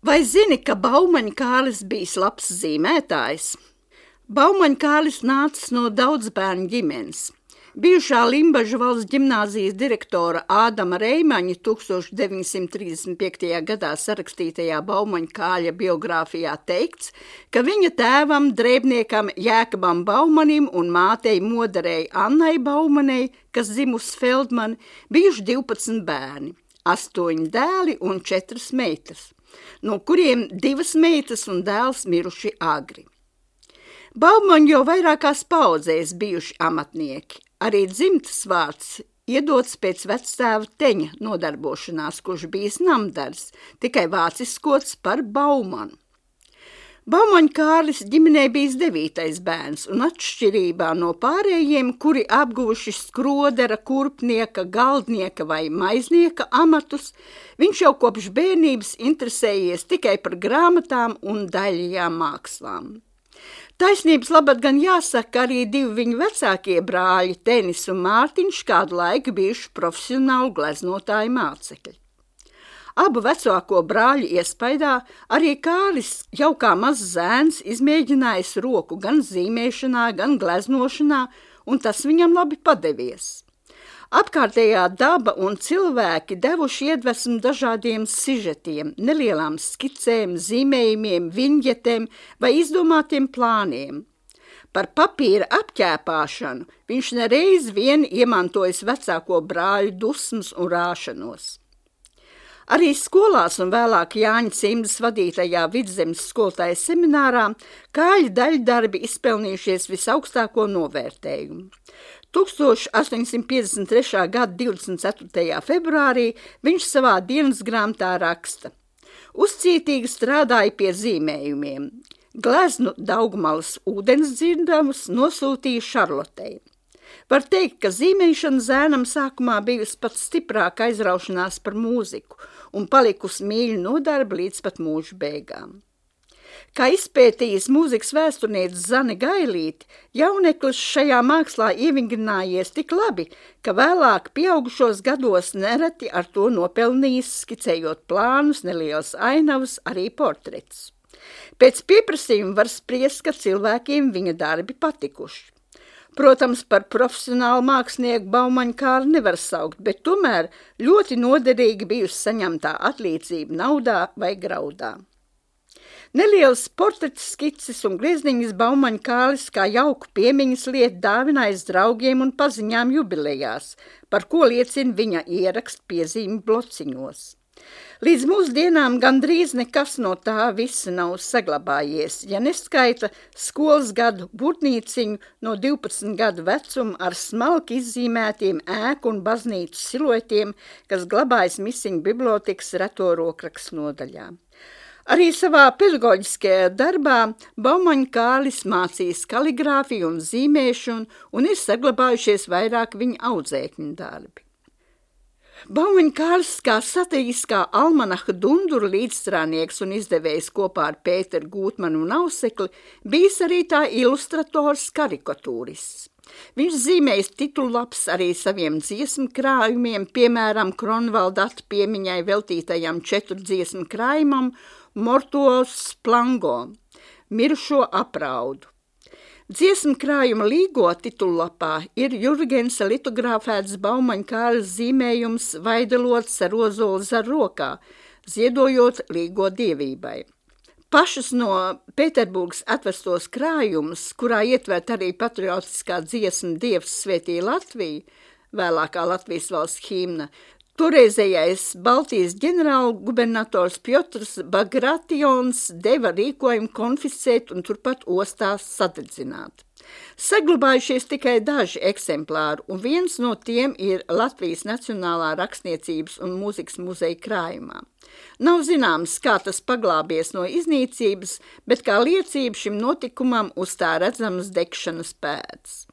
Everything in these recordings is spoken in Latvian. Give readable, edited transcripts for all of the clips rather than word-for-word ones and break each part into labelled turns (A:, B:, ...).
A: Vai zini, ka Baumaņa Kārlis bijis labs zīmētājs? Baumaņa Kārlis nācis no daudzbērnu ģimenes. Bijušā Limbažu valsts ģimnāzijas direktora Ādama Reimaņa 1935. gadā sarakstītajā Baumaņa Kārļa biogrāfijā teikts, ka viņa tēvam, drēbniekam Jēkabam Baumanim un mātei moderei Annai Baumanei, kas dzimusi Feldmani, bijuši 12 bērni, 8 dēli un 4 meitas, no kuriem 2 meitas un dēls miruši agri. Baumaņi jau vairākās paudzēs bijuši amatnieki. Arī dzimtas vārds iedots pēc vectēva Teņa nodarbošanās, kurš bijis namdars, tikai vāciskots par Baumanu. Baumaņa Kārlis ģimenē bijis 9. bērns, un atšķirībā no pārējiem, kuri apguvuši skrodera, kurpnieka, galdnieka vai maiznieka amatus, viņš jau kopš bērnības interesējies tikai par grāmatām un daļajām mākslām. Taisnības labad gan jāsaka, arī 2 viņu vecākie brāļi, Tenis un Mārtiņš, kādu laiku bijuši profesionāli gleznotāji mācekļi. Abu vecāko brāļu iespaidā arī Kārlis jau kā mazs zēns izmēģinājis roku gan zīmēšanā, gan gleznošanā, un tas viņam labi padevies. Apkārtējā daba un cilvēki devuši iedvesmu dažādiem sižetiem, nelielām skicēm, zīmējumiem, viņģetēm vai izdomātiem plāniem. Par papīra apķēpāšanu viņš nereiz vien iemantojis vecāko brāļu dusmas un rāšanos. Arī skolās un vēlāk Jāņa Cimdas vadītajā Vidzemes skolotāja seminārā Kārļa daļdarbi izpelnījušies visaugstāko novērtējumu. 1853. gada 24. februārī viņš savā dienas grāmatā raksta: uzcītīgi strādāja pie zīmējumiem. Gleznu Daugmalas ūdensdzirdamus nosūtīja Šarlotei. Var teikt, ka zīmēšana zēnam sākumā bijusi pat stiprāka aizraušanās par mūziku un palikusi mīļa nodarbe līdz pat mūža beigām. Kā izpētījis mūzikas vēsturniece Zane Gailīte, jauneklis šajā mākslā ievingrinājies tik labi, ka vēlāk pieaugušos gados nereti ar to nopelnījis, skicējot plānus, nelielas ainavas, arī portretus. Pēc pieprasījuma var spriest, ka cilvēkiem viņa darbi patikuši. Protams, par profesionālu mākslinieku Baumaņa Kārli nevar saukt, bet tomēr ļoti noderīgi bijusi saņemtā atlīdzība naudā vai graudā. Nelielas portreta skices un griezniņas Baumaņa Kārlis kā jauku piemiņas lietu dāvinājis draugiem un paziņām jubilejās, par ko liecina viņa ierakst piezīmi blociņos. Līdz mūsdienām gandrīz nekas no tā visa nav saglabājies, ja neskaita skolas gadu burtnīciņu no 12 gadu vecuma ar smalki izzīmētiem ēku un baznīcu siluetiem, kas glabājas Misiņu bibliotekas reto rokrakstu nodaļā. Arī savā pedagoģiskajā darbā Baumaņa Kārlis mācījis kaligrāfiju un zīmēšanu un ir saglabājušies vairāk viņa audzēkņu darbi. Baumaņa Kārlis kā satiriskā almanaha Dundura līdzstrādnieks un izdevējs kopā ar Pēteru Gūtmanu un Ausekli bijis arī tā ilustrators karikatūrists. Viņš zīmējis titullaps arī saviem dziesmu krājumiem, piemēram, Kronvalda piemiņai veltītajam 4 dziesmu krājumam Mortuos Plango, mirušo apraudu. Dziesmu krājuma līgo titullapā ir Jurgensa litogrāfēts Baumaņa Kārļa zīmējums Vaidelots ar ozolu zar rokā, ziedojot līgo dievībai. Pašas no Pēterburgas atvestos krājumus, kurā ietvert arī patriotiskā dziesma Dievs svētī Latviju, vēlākā Latvijas valsts himna, toreizējais Baltijas ģenerālgubernators Pjotrs Bagratjons deva rīkojumu konfiscēt un turpat ostās sadedzināt. Saglabājušies tikai daži eksemplāri, un viens no tiem ir Latvijas Nacionālā rakstniecības un mūzikas muzeja krājumā. Nav zināms, kā tas paglābies no iznīcības, bet kā liecība šim notikumam uz tā redzamas degšanas pēdas.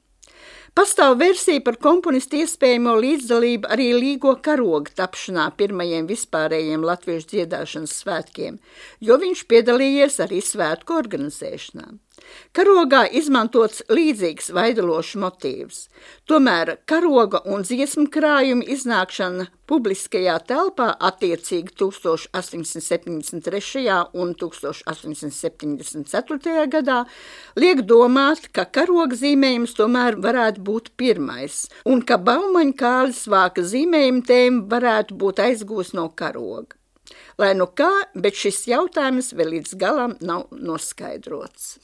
A: Pastāv versija par komponistu iespējamo līdzdalību arī līgo karoga tapšanā pirmajiem vispārējiem latviešu dziedāšanas svētkiem, jo viņš piedalījies arī svētku organizēšanā. Karogā izmantots līdzīgs vaidelošs motīvs, tomēr karoga un dziesmu krājuma iznākšana publiskajā telpā attiecīgi 1873. un 1874. gadā liek domāt, ka karoga zīmējums tomēr varētu būt pirmais, un ka Baumaņa Kārlis Vāka zīmējuma tēma varētu būt aizgūs no karoga. Lai nu kā, bet šis jautājums vēl līdz galam nav noskaidrots.